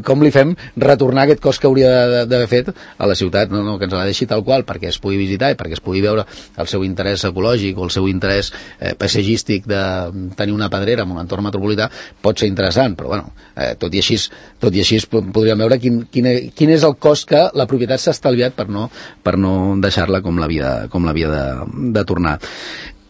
com li fem retornar aquest cost que hauria d'haver fet a la ciutat, no, no, que ens la deixi tal qual perquè es pugui visitar i perquè es pugui veure el seu interès ecològic o el seu interès eh, paisatgístic de tenir una pedrera en un entorn metropolità pot ser interessant, però bueno, eh, tot i així, tot i així podríem veure quin, quin, quin és el cost que la propietat s'ha estalviat per no, per no deixar-la com l'havia com l'havia de, de tornar.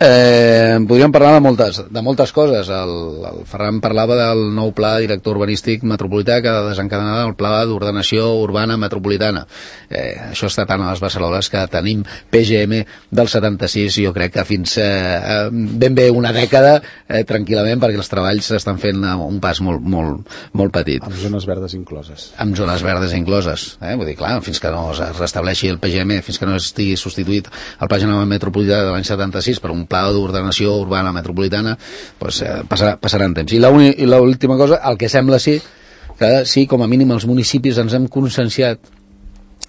Eh, podríem parlar de moltes, de moltes coses. El, el Ferran parlava del nou pla director urbanístic metropolità que desencadenarà el pla d'ordenació urbana metropolitana. Eh, això està tant a les Barcelones que tenim P G M del setanta-sis, jo crec que fins eh, ben bé una dècada eh, tranquil·lament, perquè els treballs s'estan fent a un pas molt, molt, molt petit. Amb zones verdes incloses. Amb zones verdes incloses. Eh? Vull dir, clar, fins que no es restableixi el P G M, fins que no estigui substituït el Pla General Metropolità de l'any setanta-sis per un pla d'ordenació urbana metropolitana, doncs, eh, passarà, passarà en temps. I l'última cosa, el que sembla sí, que sí, com a mínim els municipis ens hem conscienciat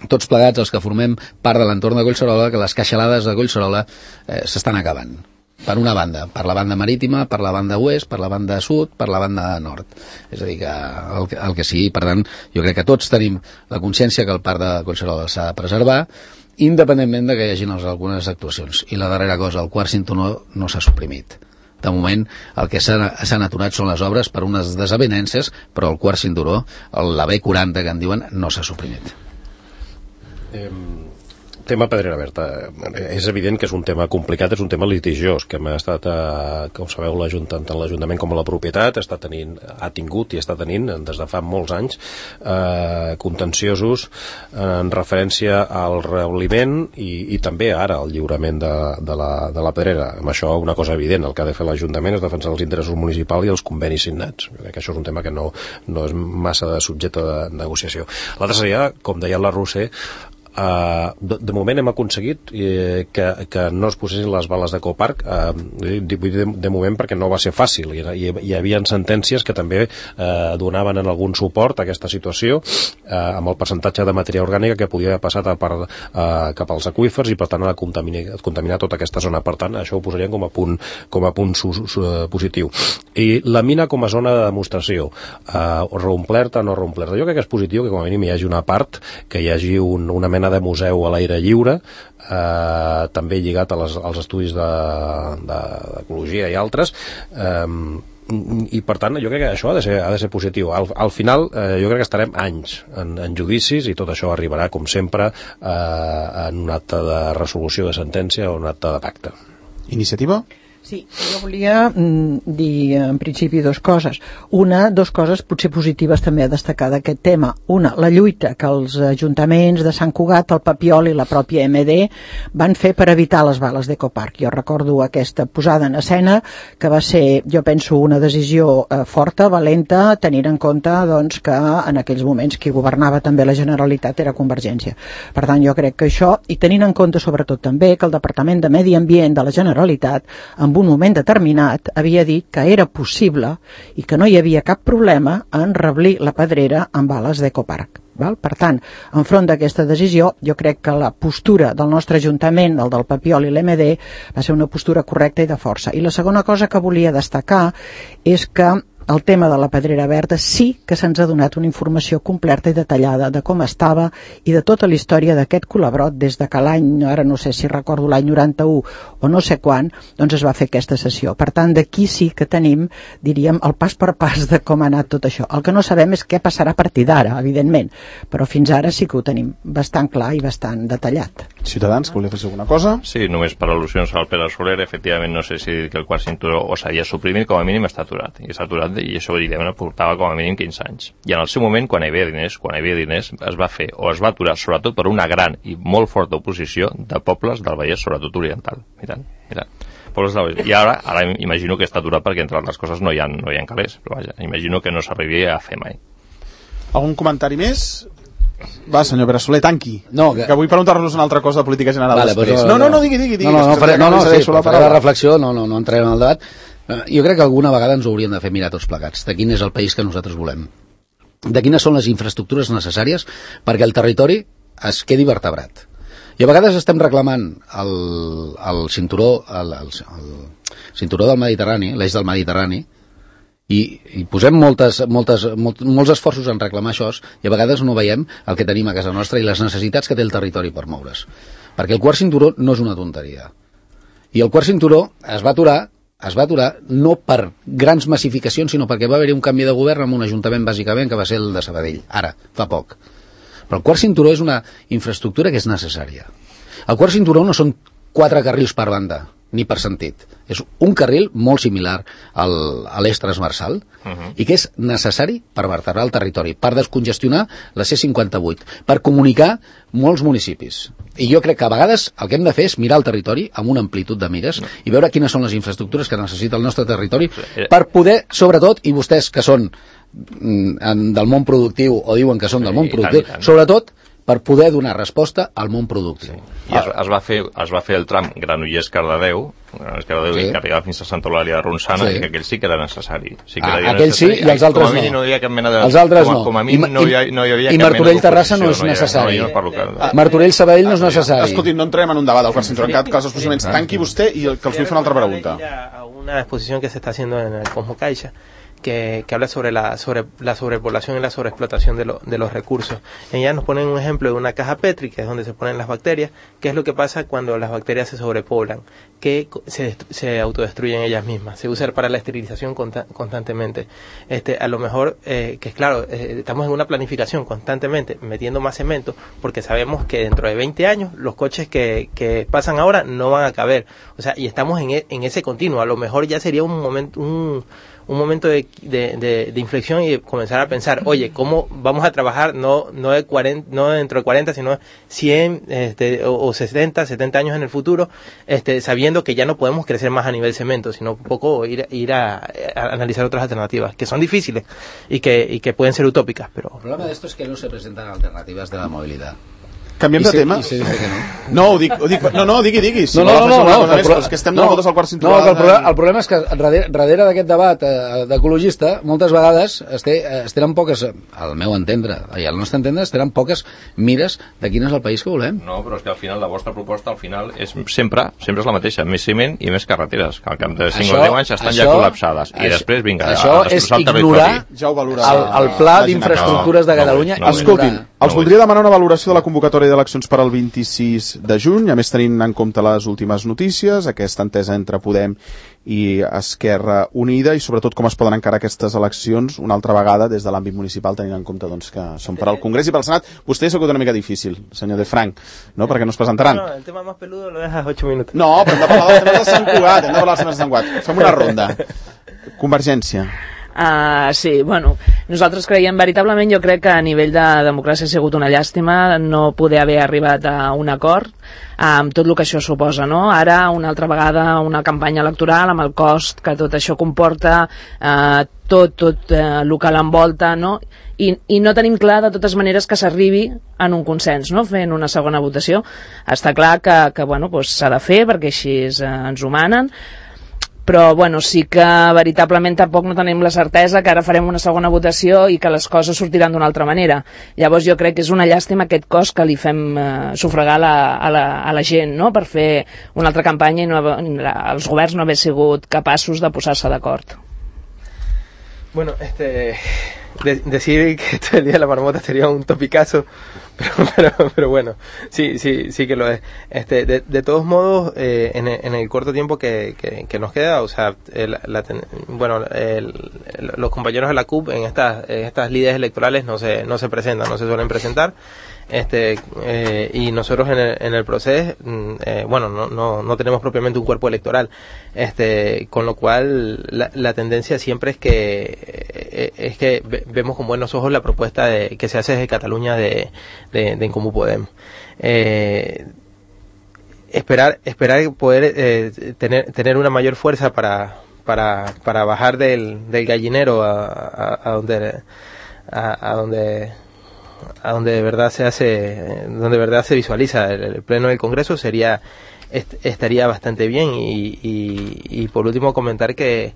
tots plegats, els que formem part de l'entorn de Collserola, que les caixalades de Collserola eh, s'estan acabant. Per una banda, per la banda marítima, per la banda oest, per la banda sud, per la banda nord. És a dir, que el, el que sigui, per tant, jo crec que tots tenim la consciència que el parc de Collserola s'ha de preservar, independentment de que hi hagi algunes actuacions. I la darrera cosa, el quart cinturó no s'ha suprimit. De moment, el que s'han aturat són les obres per unes desavinences, però el quart cinturó, la B quaranta que en diuen, no s'ha suprimit. Eh... Tema Pedrera Verda. És evident que és un tema complicat, és un tema litigiós, que hem estat, eh, com sabeu, tant l'Ajuntament com la propietat està tenint, ha tingut i està tenint des de fa molts anys eh, contenciosos en referència al reobliment i, i també ara al lliurament de, de, la, de la pedrera. Amb això una cosa evident, el que ha de fer l'Ajuntament és defensar els interessos municipals i els convenis signats. Jo crec que això és un tema que no, no és massa de subjecte de negociació. L'altre seria, com deia la Roser, Uh, de, de moment hem aconseguit eh, que, que no es posessin les bales d'Ecopark, uh, de, de, de moment perquè no va ser fàcil, hi, hi, hi havia sentències que també uh, donaven en algun suport a aquesta situació uh, amb el percentatge de matèria orgànica que podia passar a part, uh, cap als aqüífers i per tant ha de contaminar, contaminar tota aquesta zona. Per tant, això ho posaríem com a punt, com a punt su, su, positiu. I la mina com a zona de demostració, uh, reomplerta o no reomplerta, jo crec que és positiu que com a mínim hi hagi una part, que hi hagi un, una mena de museu a l'aire lliure, eh, també lligat a les, als estudis d'ecologia de, de, i altres, eh, i per tant jo crec que això ha de ser, ha de ser positiu. Al, al final eh, jo crec que estarem anys en, en judicis i tot això arribarà com sempre eh, en un acte de resolució de sentència o un acte de pacte. Iniciativa? Sí, jo volia mm, dir en principi dues coses. Una, dues coses potser positives també a destacar d'aquest tema. Una, la lluita que els ajuntaments de Sant Cugat, el Papiol i la pròpia M D van fer per evitar les bales d'Ecopark. Jo recordo aquesta posada en escena que va ser, jo penso, una decisió eh, forta, valenta, tenint en compte doncs, que en aquells moments qui governava també la Generalitat era Convergència. Per tant, jo crec que això, i tenint en compte sobretot també que el Departament de Medi Ambient de la Generalitat, en un moment determinat havia dit que era possible i que no hi havia cap problema en reblir la pedrera amb bales d'Ecopark. Val? Per tant, enfront d'aquesta decisió, jo crec que la postura del nostre Ajuntament, el del Papiol i l'M D, va ser una postura correcta i de força. I la segona cosa que volia destacar és que el tema de la pedrera verda sí que se'ns ha donat una informació completa i detallada de com estava i de tota la història d'aquest colabrot des de que l'any, ara no sé si recordo l'any noranta-u o no sé quan, doncs es va fer aquesta sessió. Per tant, d'aquí sí que tenim, diríem, el pas per pas de com ha anat tot això. El que no sabem és què passarà a partir d'ara, evidentment, però fins ara sí que ho tenim bastant clar i bastant detallat. Ciutadans, que volia fer alguna cosa? Sí, només per al·lusions al Pere Soler, efectivament no sé si que el quart cinturó o s'havia suprimit, com a mínim està aturat, i està aturat i això evidentment portava com a mínim quinze anys. I en el seu moment, quan hi havia diners, quan hi havia diners, es va fer o es va aturar sobretot per una gran i molt forta oposició de pobles del Vallès, sobretot oriental. Mira, mira. Pobles del Vallès. I ara, ara imagino que està aturat perquè entre altres coses no hi ha, no hi ha calés, però vaja, imagino que no s'arribaria a fer mai. Algun comentari més? Va, senyor Pere Soler, tanqui. No, que... que vull preguntar-nos una altra cosa de política general vale, després. Però... No, no, no, digui, digui. digui no, no, no, faré, no, no, sí, la faré la reflexió, no, no, no entrarem en el debat. Jo crec que alguna vegada ens ho hauríem de fer mirar tots plegats, de quin és el país que nosaltres volem, de quines són les infraestructures necessàries perquè el territori es quedi vertebrat. I a vegades estem reclamant el, el cinturó el, el, el cinturó del Mediterrani, l'eix del Mediterrani, i, i posem moltes, moltes, molt, molts esforços en reclamar això, i a vegades no veiem el que tenim a casa nostra i les necessitats que té el territori per moure's. Perquè el quart cinturó no és una tonteria. I el quart cinturó es va aturar, es va aturar no per grans massificacions, sinó perquè va haver-hi un canvi de govern en un ajuntament, bàsicament, que va ser el de Sabadell, ara, fa poc. Però el quart cinturó és una infraestructura que és necessària. El quart cinturó no són quatre carrils per banda, ni per sentit. És un carril molt similar al, a l'eix transversal uh-huh. i que és necessari per vertebrar el territori, per descongestionar la C cinquanta-vuit, per comunicar molts municipis. I jo crec que a vegades el que hem de fer és mirar el territori amb una amplitud de mires no. i veure quines són les infraestructures que necessita el nostre territori per poder, sobretot, i vostès que són mm, del món productiu o diuen que són del món productiu, tant, tant. sobretot per poder donar resposta al món productiu. Sí. I es, es, va fer, es va fer el tram Granollers-Cardedeu, Cardedeu sí. que arribava fins a Santa Eulàlia de Ronçana, sí. que aquell sí que era necessari. Sí que ah, era aquell necessari. sí i els altres com a mínim no. no hi havia cap mena de... Els altres com a, no. Com a mínim no hi, no hi havia I cap Martorell-Terrassa no és necessari. No, no, no, no, Martorell-Sabadell no és necessari. Escolti, no entrem en un debat del quart cinturó. En cap cas, els procediments, tanqui vostè i que els vull fer una altra pregunta. A una exposición que se está haciendo en el Cosmo Caixa, que, que habla sobre la sobre la sobrepoblación y la sobreexplotación de, lo, de los recursos. En ella nos ponen un ejemplo de una caja Petri, que es donde se ponen las bacterias. ¿Qué es lo que pasa cuando las bacterias se sobrepoblan? Que se, se autodestruyen ellas mismas. Se usa para la esterilización consta, constantemente. Este, a lo mejor, eh, que es claro, eh, estamos en una planificación constantemente, metiendo más cemento, porque sabemos que dentro de veinte años los coches que, que pasan ahora no van a caber. O sea, y estamos en, e, en ese continuo. A lo mejor ya sería un momento... un un momento de, de, de, de inflexión y comenzar a pensar, oye, ¿cómo vamos a trabajar no no de cuarenta, no dentro de cuarenta, sino cien este, o, o sesenta, setenta años en el futuro, este, sabiendo que ya no podemos crecer más a nivel cemento, sino un poco ir, ir a, a analizar otras alternativas, que son difíciles y que, y que pueden ser utópicas. Pero el problema de esto es que no se presentan alternativas de la movilidad. Canviem de se, tema? I se dice que no. No, ho dic, ho dic, no, no, digui, digui. Si no, no, no, no, no, més, no, és que estem donant no, voltes al quart cinturó. No, el, problema, el problema és que darrere, darrere d'aquest debat eh, d'ecologista, moltes vegades es, té, es tenen poques, al meu entendre, i al nostre entendre, es tenen poques mires de quin és el país que volem. No, però és que al final la vostra proposta al final és sempre, sempre és la mateixa, més ciment i més carreteres, que al cap de cinc o deu anys estan això, ja col·lapsades. I això, després, vinga, això a és ignorar ja el, el pla d'infraestructures de Catalunya. No, no, escoltin, els voldria demanar una valoració de la convocatòria d'eleccions per al vint-i-sis de juny, a més tenint en compte les últimes notícies, aquesta entesa entre Podem i Esquerra Unida, i sobretot com es poden encarar aquestes eleccions una altra vegada des de l'àmbit municipal, tenint en compte doncs, que són per al Congrés i pel Senat. Vostè s'ha una mica difícil, senyor de Frank, no? Perquè no es presentaran. No, no, el tema más peludo lo dejas ocho minutos. No, però hem de parlar dels temes de Sant Cugat, hem de parlar dels temes de Sant Cugat. Fem una ronda. Convergència. Uh, sí, bueno, nosaltres creiem veritablement, jo crec que a nivell de democràcia ha sigut una llàstima no poder haver arribat a un acord amb tot el que això suposa, no? Ara, una altra vegada, una campanya electoral amb el cost que tot això comporta, uh, tot, tot uh, el que l'envolta, no? I, i no tenim clar de totes maneres que s'arribi en un consens, no? Fent una segona votació. Està clar que, que bueno, pues, s'ha de fer perquè així uh, ens ho manen, però bueno, sí que veritablement tampoc no tenim la certesa que ara farem una segona votació i que les coses sortiran d'una altra manera. Llavors jo crec que és una llàstima aquest cost que li fem eh, sufragar la, a, la, a la gent, no?, per fer una altra campanya i no, els governs no haver sigut capaços de posar-se d'acord. Bueno, este, de, decir que esto el día de la marmota sería un topicazo, pero, pero, pero bueno, sí, sí, sí que lo es. Este, de, de todos modos, eh, en, el, en el corto tiempo que, que, que nos queda, o sea, el, la, bueno, el, el, los compañeros de la C U P en estas, en estas lides electorales no se, no se presentan, no se suelen presentar. Este eh, y nosotros en el, en el proceso eh, bueno no, no, no tenemos propiamente un cuerpo electoral, este con lo cual la, la tendencia siempre es que eh, es que ve, vemos con buenos ojos la propuesta de, que se hace desde Cataluña de, de, de En Comú Podem. Eh, esperar esperar poder eh, tener tener una mayor fuerza para para para bajar del, del gallinero a, a, a donde a, a donde a donde de verdad se hace, donde de verdad se visualiza el, el pleno del Congreso, sería est, estaría bastante bien. Y, y, y por último comentar que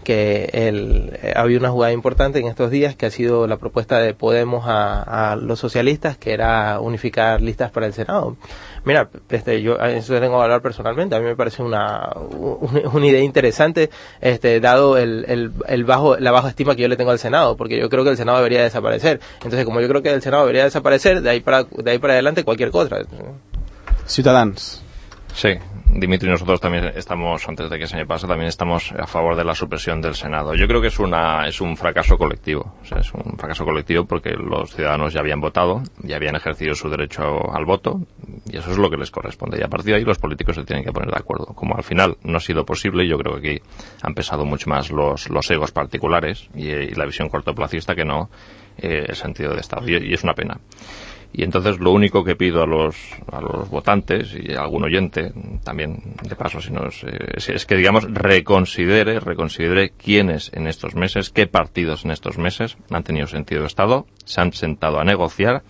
que el, ha habido una jugada importante en estos días que ha sido la propuesta de Podemos a, a los socialistas, que era unificar listas para el Senado. Mira, este, yo eso tengo que hablar personalmente, a mí me parece una, una, una idea interesante, este, dado el, el, el bajo, la baja estima que yo le tengo al Senado, porque yo creo que el Senado debería desaparecer. Entonces, como yo creo que el Senado debería desaparecer, de ahí para, de ahí para adelante cualquier cosa. Ciutadans. Sí, Dimitri, nosotros también estamos, antes de que se me pase, también estamos a favor de la supresión del Senado. Yo creo que es una es un fracaso colectivo. O sea, es un fracaso colectivo porque los ciudadanos ya habían votado, ya habían ejercido su derecho al voto, y eso es lo que les corresponde. Y a partir de ahí los políticos se tienen que poner de acuerdo. Como al final no ha sido posible, yo creo que aquí han pesado mucho más los, los egos particulares y, y la visión cortoplacista que no eh, el sentido de Estado. Y, y es una pena. Y entonces lo único que pido a los a los votantes y a algún oyente también, de paso, si nos, eh, es, es que, digamos, reconsidere, reconsidere quiénes en estos meses, qué partidos en estos meses han tenido sentido de Estado, se han sentado a negociar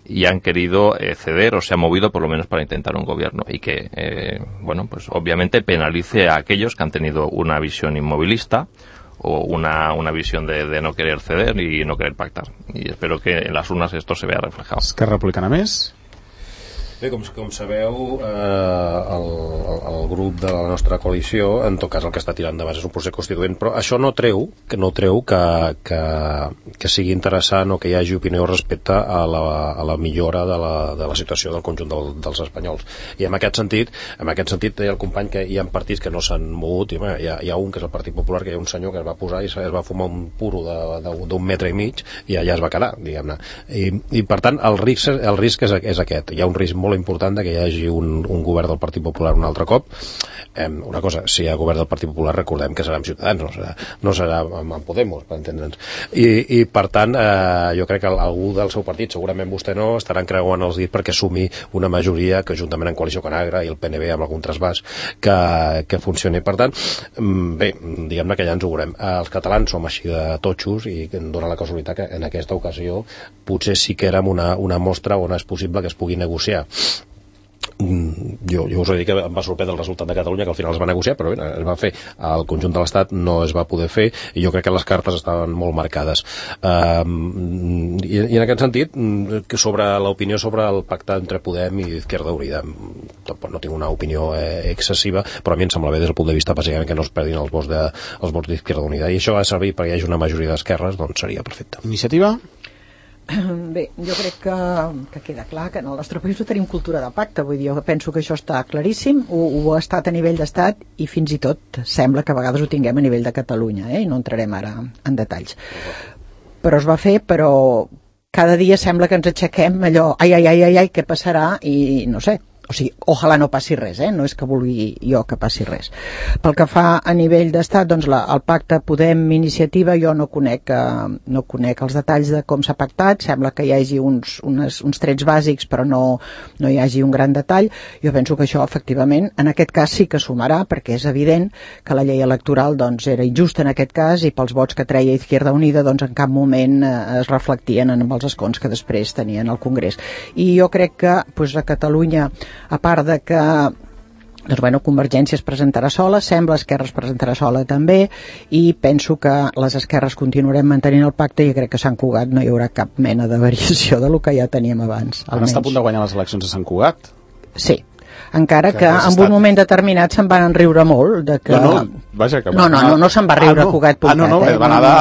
y han querido eh, ceder o se han movido por lo menos para intentar un gobierno, y que, eh, bueno, pues obviamente penalice a aquellos que han tenido una visión inmovilista o una, una visión de, de no querer ceder y no querer pactar. Y espero que en las urnas esto se vea reflejado. Esquerra Republicana més? Bé, com, com sabeu, eh, el, el grup de la nostra coalició, en tot cas el que està tirant endavant és un procés constituent, però això no treu que no treu que, que, que sigui interessant o que hi hagi opinió respecte a la, a la millora de la, de la situació del conjunt del, dels espanyols. I en aquest sentit, en aquest sentit deia el company que hi ha partits que no s'han mogut, i bé, hi, ha, hi ha un que és el Partit Popular, que hi ha un senyor que es va posar i es va fumar un puro d'un metre i mig i allà es va quedar, diguem-ne. I, i per tant el risc, el risc és, és aquest. Hi ha un risc molt important de que hi hagi un, un govern del Partit Popular un altre cop. Eh, una cosa, si hi ha govern del Partit Popular, recordem que serà amb Ciutadans, no serà, no serà amb, amb Podemos, per entendre'ns. I, i per tant, eh, jo crec que algú del seu partit, segurament vostè no, estaran creuant els dits perquè sumi una majoria que, juntament en Coalició Conagra i el P N B amb algun trasbàs, que, que funcioni. Per tant, bé, diguem-ne que ja ens ho veurem. Els catalans som així de totxos i em dóna la casualitat que en aquesta ocasió potser sí que érem una, una mostra on és possible que es pugui negociar. Jo, jo us he dit que em va sorprendre el resultat de Catalunya, que al final es va negociar, però bé, es va fer. Al conjunt de l'Estat no es va poder fer i jo crec que les cartes estaven molt marcades. Um, i, I en aquest sentit, que sobre l'opinió sobre el pacte entre Podem i Izquierda Unida, tampoc no tinc una opinió eh, excessiva, però a mi em sembla bé des del punt de vista bàsicament que no es perdin els vots de, els vots d'Izquierda Unida, i això ha de servir perquè hi hagi una majoria d'esquerres, doncs seria perfecte. Iniciativa? Bé, jo crec que, que queda clar que en el nostre país no tenim cultura de pacte, vull dir, jo penso que això està claríssim, ho, ho ha estat a nivell d'estat i fins i tot sembla que a vegades ho tinguem a nivell de Catalunya, eh? I no entrarem ara en detalls. Però es va fer, però cada dia sembla que ens aixequem allò, ai, ai, ai, ai, ai, què passarà? I no sé, o sigui, ojalà no passi res, eh? No és que vulgui jo que passi res. Pel que fa a nivell d'estat, doncs la, el pacte Podem Iniciativa, jo no conec, eh, no conec els detalls de com s'ha pactat, sembla que hi hagi uns, unes, uns trets bàsics però no, no hi hagi un gran detall. Jo penso que això efectivament en aquest cas sí que sumarà, perquè és evident que la llei electoral doncs, era injusta en aquest cas i pels vots que treia Izquierda Unida doncs, en cap moment eh, es reflectien en els escons que després tenien al Congrés. I jo crec que doncs, a Catalunya, a part de que doncs, bueno, Convergència es presentarà sola, sembla Esquerra es presentarà sola també, i penso que les esquerres continuarem mantenint el pacte i crec que a Sant Cugat no hi haurà cap mena de variació de lo que ja teníem abans. Ara està a punt de guanyar les eleccions a Sant Cugat? Sí, encara que, que en estat... un moment determinat se'n van riure molt de que... No, no, vaja, que... no, no, no, no se'n va riure ah, no. Cugat Puntat. Ah, no, no, eh? va anar de...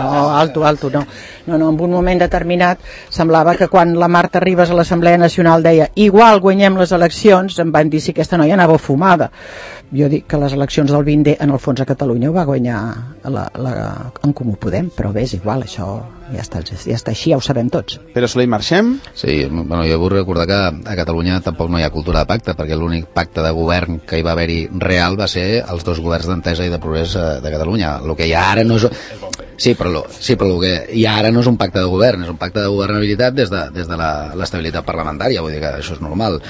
No, no, alto, alto, no. No, no, en un moment determinat semblava que quan la Marta Ribas a l'Assemblea Nacional deia igual guanyem les eleccions, em van dir si aquesta noia anava fumada. Jo dic que les eleccions del vint D en el fons a Catalunya ho va guanyar la, la, en Comú Podem, però bé, és igual, això ja està, ja està així, ja ho sabem tots. Pere Soler i marxem? Sí, bueno, jo vull recordar que a Catalunya tampoc no hi ha cultura de pacte, perquè l'únic pacte de govern que hi va haver-hi real va ser els dos governs d'Entesa i de Progrés de Catalunya. El que hi ha ara no és... Sí, però, lo, sí, però el que hi ha ara no és un pacte de govern, és un pacte de governabilitat des de, des de l'estabilitat parlamentària, vull dir que això és normal.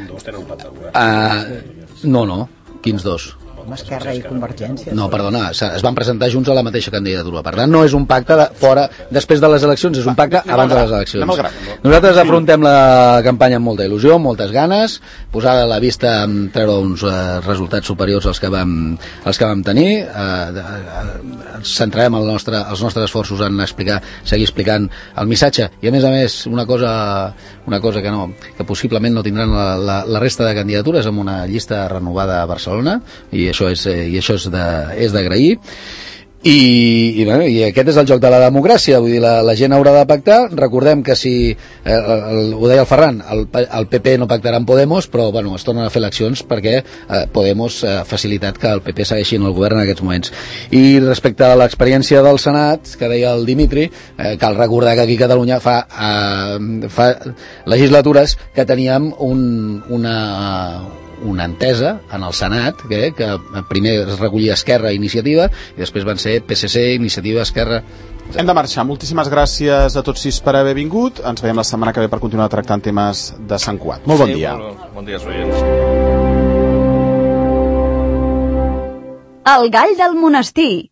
Vostè no un pacte de govern? Uh, no, no. Quins dos? amb Esquerra i Convergència. No, perdona, es van presentar junts a la mateixa candidatura. Per tant, no és un pacte de fora després de les eleccions, és un pacte abans de les eleccions. Nosaltres afrontem la campanya amb molta il·lusió, moltes ganes, posada a la vista amb treure uns eh, resultats superiors als que vam, als que vam tenir. Eh, ens centrarem el nostre, els nostres esforços en explicar, seguir explicant el missatge, i a més a més una cosa, una cosa que, no, que possiblement no tindran la, la, la resta de candidatures, amb una llista renovada a Barcelona, i això és, eh, i això és de, és d'agrair. I, i, bueno, i aquest és el joc de la democràcia, vull dir, la, la gent haurà de pactar. Recordem que si, eh, el, ho deia el Ferran, el, el P P no pactarà amb Podemos, però bueno, es tornen a fer eleccions perquè eh, Podemos ha eh, facilitat que el P P segueixi en el govern en aquests moments. I respecte a l'experiència del Senat, que deia el Dimitri, eh, cal recordar que aquí a Catalunya fa, eh, fa legislatures que teníem un, una... una entesa en el Senat que, que primer es recollia Esquerra i Iniciativa i després van ser P S C, Iniciativa, Esquerra. Hem de marxar. Moltíssimes gràcies a tots sis per haver vingut. Ens veiem la setmana que ve per continuar tractant temes de Sant Cugat. Molt bon sí, dia. Bon, bon dia, oients. El gall del monestir.